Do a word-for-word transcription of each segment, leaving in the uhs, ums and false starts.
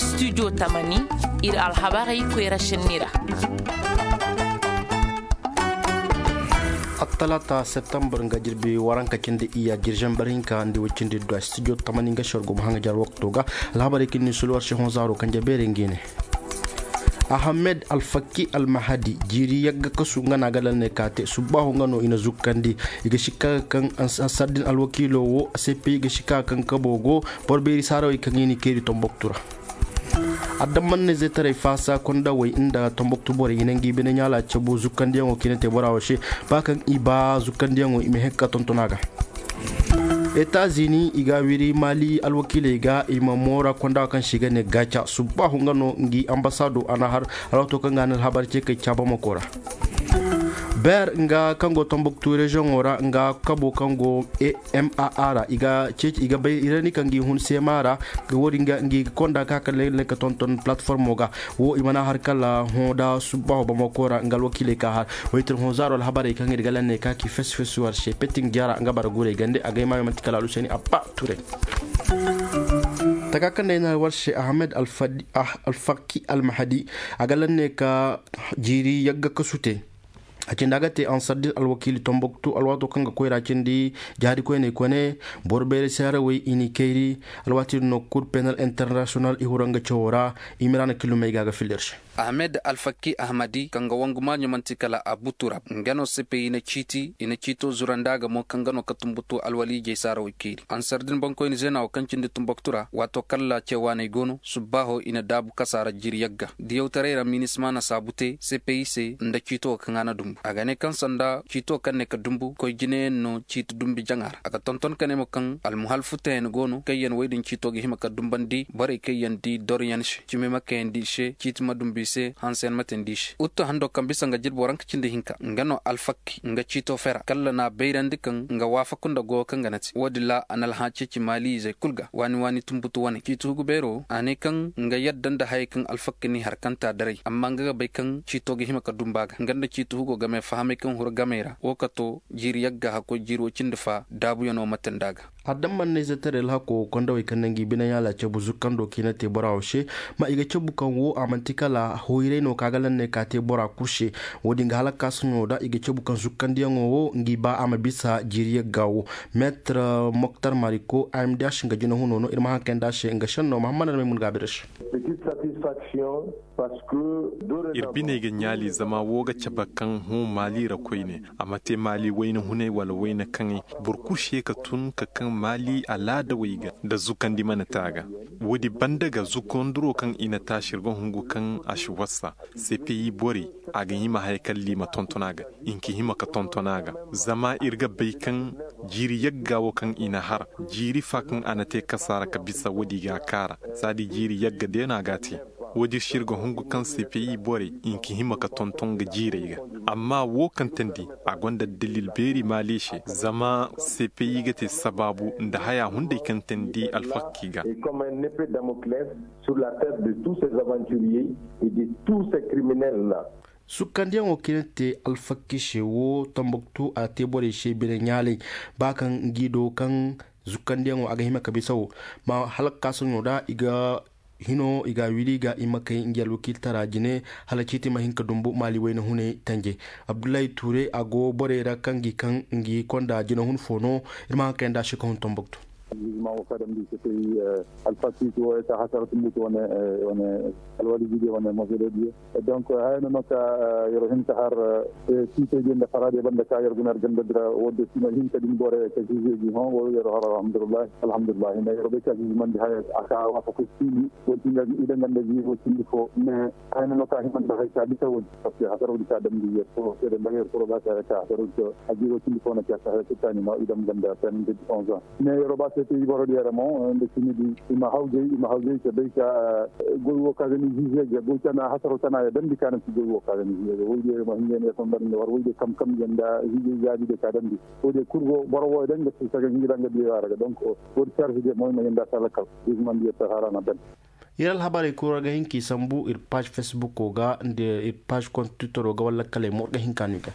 Studio tamani, iri alhabarey koyra senni ra. Attalaata septembre nga jirbi waranka cindi iyya jirjen bari hinka nda way cindi duwa studio tamani nga shorgo ma hanga jar wakto ga. Alhabarey kin ni sulu war se hon zaaro kanje beere ngi ne. Ahamed alfakki almahadi jiiri yagga kasu nga na ga lanney ka te subbaahu nga no i na zukkandi. I ga sikka ga kaŋ ansardin alwakiilo wo cpi ga sikka ga kaŋ kabo go boro beeri saarawey kaŋ i na i kayri tomboktu ra. Adammanne zeetaray faasa kondawey nda tomboktu borey i na ngi bine ɲaala cabu zukkandiyaŋo kaŋ i na te bora wo se ba kaŋ i ba zukkandiyaŋo i ma hekka tontona ga. Etazini i ga wiri mali alwakiiley ga i ma moora konda kaŋ se i ga ne gaca subbaahu nga no ngi ambasaado a na har alwato kaŋ ga a na alhabar ce kay caabamako ra. Ber nga kaŋ go tombuktu reziyoŋo ra nga kabo kaŋ go maa ra i ga ceeci i ga bay irani kaŋ gi hun sema ra. Wo-din ga ngi ga konda ka kala ne ka tonton platformo ga wo i mana har kala hõ da subbaahu bamako ra nga alwakiiley ka har. Waytir hõ zaaro alhabarey kaŋ iri ga lanney ka ki fesfes war se petin jara nga bara gurey gande a ga ay maayo manti kala aluseni abba turay. Taka kaŋ day na war se ahmed alfaki almahadi a ga lanney ka jiiri yagga kasu te. A cindi a ga te ansardin alwakiili tombuktu alwaato kaŋ ga koyra cindi jaari koyney kone boro beere saarawey i n'i kayri. Alwaati din no kur penal international i huranga cawo ra. Imirana kilumey ga ga filler se. Ahmed alfakki ahmadi kaŋ ga wangu maaɲo manti kala abu turab nga no sepe i na ciiti i na ciito zuranda ga mo kaŋ ga no ka tumbutu alwaliijey saarawey keeri ansar din boŋkoyne zeena wo kaŋ cindi tumbuktu ra waato kala ceewaaney go no subbaaho i na daabu kasaara jiiri yagga diyawtaray ra minisma na saabu te sepe i se nda ciito wo kaŋ a na dumbu a ga ne kaŋ sanda ciito kaŋ ne ka dumbu koy jinayaŋ no ciiti dumbi jaŋa ra a ga tonton ka ne mo kaŋ almuhal futayana go no kaŋ yaŋ wey din ciito ga hima ka dumbandi borey kaŋ yaŋ di doroyaŋ se cimi ma kayandi i se ciiti ma dumbu i se hanse yaŋ ma teendi i se uttu hando kaŋ bisa nga jirbi waranka cindi hinka nga no alfakki nga ciito fera kalla n'a bayrandi kaŋ nga waafaku nda goyo kaŋ ga na te wo- din ra a na alhã ceeci maaliizey kulu ga waani waani tumbutu wane ciiti hugu beero a ne kaŋ nga yadda nda hayey kaŋ alfakki n'i harkanta daray amma nga ga bay kaŋ ciito ga hima ka dumbu a ga nga nda ciiti hugo game fahamey kaŋ huru gamey ra wo ka to jiiri yagga hakkoy jiiri wo cindi fa daabuyaŋo ma teendi a ga. Adammanne zeetaray alhako kondawey kaŋ na ngi bine ɲaala cabu zukkando kaŋ i na te bora wo se. Ma i ga cabu kaŋ wo a manti kala hoyray no kaŋ a ga lanney ka te bora kulu se. Wo- din ga hala ka kaasaŋo da i ga cabu kaŋ zukkandiyaŋo wo ngi ba a ma bisa jiiri yagga wo. Meetre moktar mariko a m d h nga jinahuno no iri ma haŋ kayandi a se nga senno mahammad almay mun ga a bira se. Iri biney ga ɲaali zama wo ga cabe kaŋ hõ maali ra koyne a ma te maali wayna hunay wala wayna kaŋay. Boro kulu si ye ka tun ka kaŋ maali alaadawey ga nda zukandi mana te a ga. Woodi banda ga zukandiro kaŋ i na taasi iri ga hungu kaŋ a si wasa. Sepeyi borey a ga hima haya kaŋ liima tonton a ga. I nka hima ka tonton a ga zama iri ga bay kaŋ jiiri yagga wo kaŋ i na har jiiri fa kaŋ a na te kasaara ka bisa woodi ga a kaara. Saadi jiiri yagga day no a ga a te. Woodi se iri ga hungu kaŋ sepeyi borey i nka hima ka tonton ga jiirey ga. Amma wo kaŋ teendi a gonda dalil beeri maali se zama sepeyi ga te sabaabu nda haya hunday kaŋ teendi alfakki ga. Sur la tête de tous ces aventuriers et de tous ces criminels là. Sukkandiyaŋo kaŋ i na te alfakki se wo tambuktu a te borey se bine ɲaalay ba kaŋ ngi do kaŋ zukkandiyaŋo a ga hima ka bisa wo ma hala ka kaasaŋo da i ga hino i ga a wiri ga i ma kay ngi alwakiiltara jine hala ciiti ma hin ka dumbu maali wayna hunay tanje. Abdullahi tuure a go borey ra kaŋ gi kaŋ ngi konda jina hun fo no. Iri ma haŋ kayandi a se ka hun tambuktu. Jugement wo ka damndi se tey alfakki wo ka hasara tumbutu wane wane alwali jige wane mosolo diye. Donc haya no no ka yero hin ka har ciitey diye nda fara diye banda ka yero guna ganda dira wo de sino hin ka din bore ka jije gi hon wo yero har alhamdulillah. Alhamdulillah hinda yero be ka jije mandi haya aka wasa ko sini wo tinga ida ganda gi wo tindi fo mais haya no no ka himanta hay ka bisa wo parce que hasara wo ka damndi yer ko sede mbager ko ba ka ka hasara wo a jiro tindi fo na ka ka hay ko tani ma idam ganda tan de onze ans. Mais yero ba se te iboro di yara mo nde sini di ima hawjey ima hawjey ke bay ka goy wo ka gani jije ga goy tana hasaro tana ya damndi kana ci goy wo ka gani jije ga woy de ma hinge ne son bari war woy de kam kam yanda jije ya di de ka damndi. Wo de kurgo boro wo danga ci ka gani danga di yara ga donc wo de charge de mo ma yanda sala kal. Jugement di ta harana dan. Iri alhabarey kulu ra ga hin ka i sambu iri page facebook ga nda iri page compte twitter ga wala kala ay mo ga hin ka no i ga.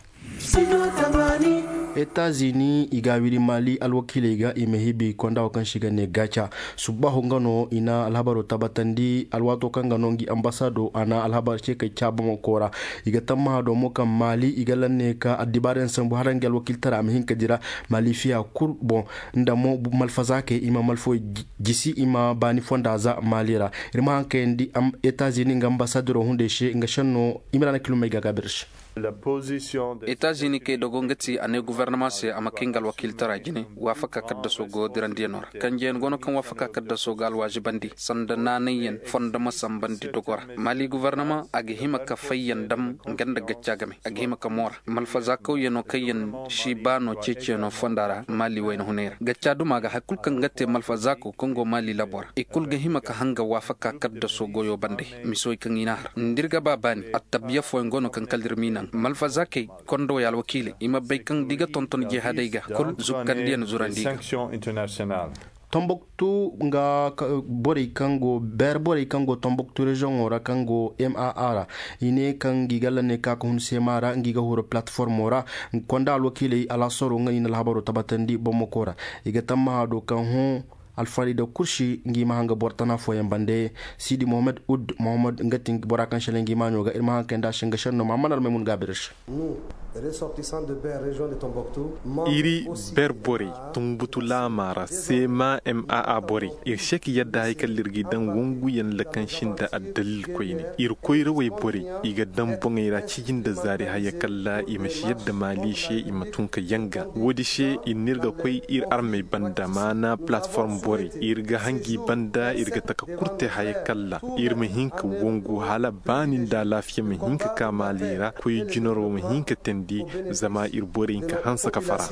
Etazini i ga a wiri maali alwakiiley ga i ma hibi konda wo kaŋ se i ga ne gaca. Subbaahu nga no i na alhabaro tabbatandi alwaato kaŋ ga no ngi ambasaado a na alhabar ce kay caabu mo koora. I ga tammaha do mo kaŋ maali i ga lanne ka addibaarayaŋ sambu hala ngi alwakiiltara a ma hin ka dira maali fiya kul boŋ. Nda mo malfazaakey i ma malfawey jisi i ma baani fonda za maali ra. Iri ma haŋ kayandi etazini nga ambasadero hunday se nga senno. Imiraana kilomey ga gaabir se. Etazini kay dogo nga ti a ne guvernama se a ma kay nga alwakiiltara jine waafaka kaddaso go dirandiyaŋo ra. Kanjeyaŋ go no kaŋ waafaka kaddaso ga alwaazibandi sanda naanayyaŋ fondo ma sambandi dogo ra. Maali guvernama a ga hima ka fayyaŋ dam nga nda gacca game a ga hima ka moora malfazaakawyaŋo kaŋ yaŋ si baano ceeciyaŋo fonda ra maali wayna hunay ra gacca duma ga hari kulu kaŋ ga te malfazaako kaŋ go maali labo ra i kulu ga hima ka hanga waafaka kaddaso goyo bande. Miso i kaŋ i n'a har nda iri ga ba baani attabiya fooyaŋ go no kaŋ kala iri m'i naŋ malfazaakey kondowey alwakiiley i ma bay kaŋ da i ga tonton jihadey ga kulu zukkandiyaŋ zurandi ga. Tombuktu nga borey kaŋ go beere borey kaŋ go tombuktu reziyoŋo ra kaŋ go maa ra i ne kaŋ ngi ga lanne ka ka hun seema ra ngi ga huru palatiformo ra. Konda alwakiiley alaasaro nga i na alhabaro tabbatandi bomoko ra i ga tammaha do kaŋ hõ alfari da kursi ngi ma hanga boro tana fooyaŋ bande. Sidi mohammed ud mohammed nga ti bora kaŋ sele ngi maaɲo ga iri ma haŋ kay nda se nga senno mahamman almaymun ga birish. Iri ber borey tumbutu laama ra seema maa borey iri se ka yadda hari kala iri ga i daŋ wangu yaŋ lakansi nda addalil koyne iri koyrawey borey i ga daŋ boŋey ra ciji nda zaari haya kala i ma si yadda maali se i ma tun ka yanga wo- din se iri n'iri ga koy iri armey banda maana palatform borey iri ga hangi banda iri ga taka kurte haya kala iri ma hin ka wangu hala baani nda alaafiya ma hin ka ka maali ra koy jinaro ma hin ka teendi zama iri borey hinka hanse ka fara.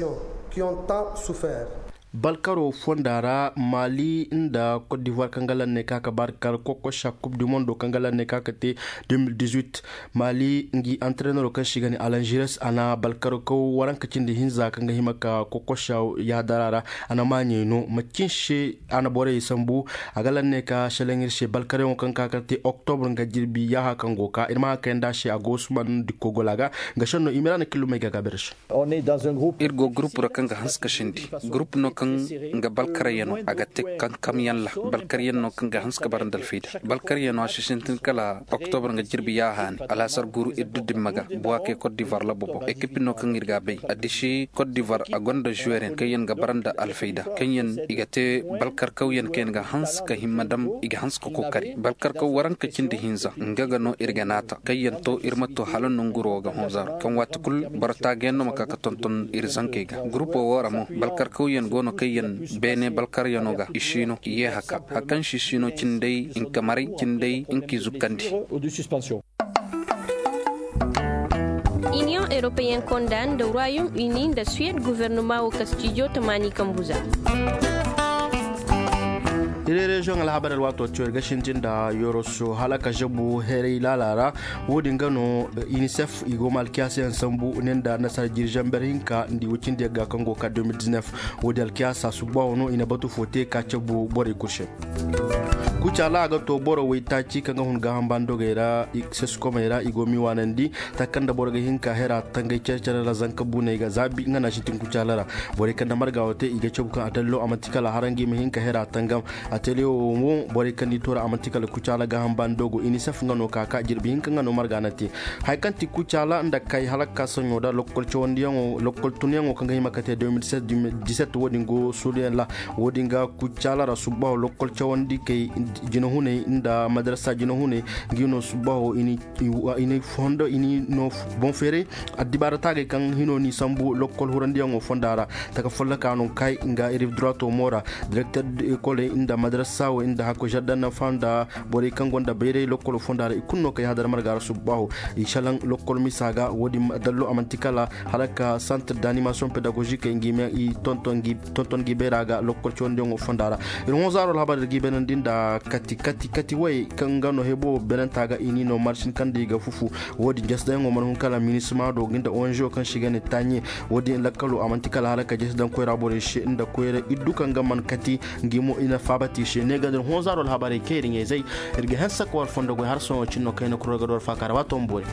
Balkaro fonda ra maali nda kot divoir kaŋ ga lanne ka ka baari kar kokosa kub du mondo kaŋ ga lanne ka ka te deux mille dix-huit. Maali ngi antrenero kaŋ se i ga ne alangeres a na balkaro kaw waranka cindi hinza kaŋ ga hima ka kokosa yaadara ra. A na maaɲey no macin se a na borey sambu. A ga lanne ka seleŋ iri se balkaryaŋo kaŋ ka ka te oktobre nga jirbi yaaha kaŋ go ka iri ma haŋ kayanda se a go suman dikko gola ga. Nga senno i ma iri a na killumey ga gaabir se. Iri go gurupu ra kaŋ ga hanse ka sindi gurupu no kaŋ nga balkaryaŋo a ga te kankamyaŋ ra. Balkaryaŋ no kaŋ ga hanse ka bara nda alfayda balkaryaŋo a si sintin kala oktobre nga jirbi yaaha ne alaasar guru iri du dimma ga buwake kot divar labo boŋ ekipi no kaŋ iri ga a bay a disi kot divar a gonda zuweryaŋ kaŋ yaŋ ga bara nda alfayda kaŋ yaŋ i ga te balkarkawyaŋ kaŋ yaŋ ga hanse ka himma dam i ga hanse ka kookari balkarkaw waranka cindi hinza nga ga no iri ga naata kaŋ yaŋ to iri ma to hala nonguro wo ga honzaaro kaŋ waati kulu boro taaga yaŋ no ma ka ga tonton iri zankey ga gurupo wo ra mo balkarkawyaŋ go no kaŋ yaŋ beene balkaryaŋo ga i siino i ye haka hari kaŋ si siino cindey hinka maray cindey hinka i zukkandi. Iniyoŋ europeyyaŋ konda nda ruwayum uni nda suwed guvernuma wo kastijo tamaani kambuza. Iri reziyoŋ alhabar alwaato tiyo iri ga sintin nda yoroso hala ka zabu heeray laala ra. Wo- din ga no inisef i go ma alkiyaasa yaŋ sambu ne nda nasara jiri zamber hinka nda i wacindi yagga kaŋ go ka deux mille dix-neuf. Wo- din alkiyaasa subbaho no i na batu fo te ka cabu borey kulu se. Kucaala a ga to boro waytaaci kaŋ ga hun gaaham baani dogey ra seskomey ra i go m'i waanandi. Taka kaŋ nda boro ga hin ka hera tangay care care ra zanka buuney ga zaabi nga no a sintin kucaala ra. Borey kaŋ nda marga wo te i ga cabu kaŋ atallo a manti kala hara ngi ma hin ka hera tangam. Ateliyo wo mo borey kaŋ n'i toora a manti kala kucaala gaaham baani dogo inisef nga no ka ka jirbi hinka nga no marga na te. Hari kaŋ ti kucaala nda kay hala ka ka saɲo da lokkol cawandiyaŋo lokkol tunyaŋo kaŋ ga hima ka te deux mille seize deux mille dix-sept wo- din go suuduyaŋ ra. Wo- din ga kucaala ra subbaho lokkol cawandi kay jinahuney nda madarasa jinahuney. Ngi no subbaho i n'i fondo i n'i no boŋ feeray. Addibaara taagey kaŋ hino n'i sambu lokkol hurandiyaŋo fonda ra. Taka folloka no kay nga iri durato mo ra. Direkter de ekoley nda madarasawey nda hakko zardan nafa nda borey kaŋ gonda bayray lokkolo fonda ra i kulu no kay hadar marga ra subbaho. I salaŋ lokkol misa ga wo- din dallo a manti kala hala ka santir d'animasiyoŋ pedagogik ngi me i tonton ngi bayra ga lokkol cawandiyaŋo fonda ra. Iri hõ zaaro alhabar iri ga i beenandi nda kati kati kati way kaŋ ga no hebo beenanta ga i n'i no marsin kaŋ nda i ga fufu. Wo- din jesi daŋyaŋo mana hun kala minisima do ngi nda onzo kaŋ se i ga ne taaɲe. Wo- din lakkalo a manti kala hala ka jesi daŋ koyra borey se nda koyra iddu kaŋ ga mana kati. Ngi mo i na faabati i se ne ga nda iri hõ zaaro alhabarey kaŋ iri ɲayzey. Iri ga hanse ka war fondo goy hala sohõ cine no kayna kuro ga do war faaka ra waato ma boori.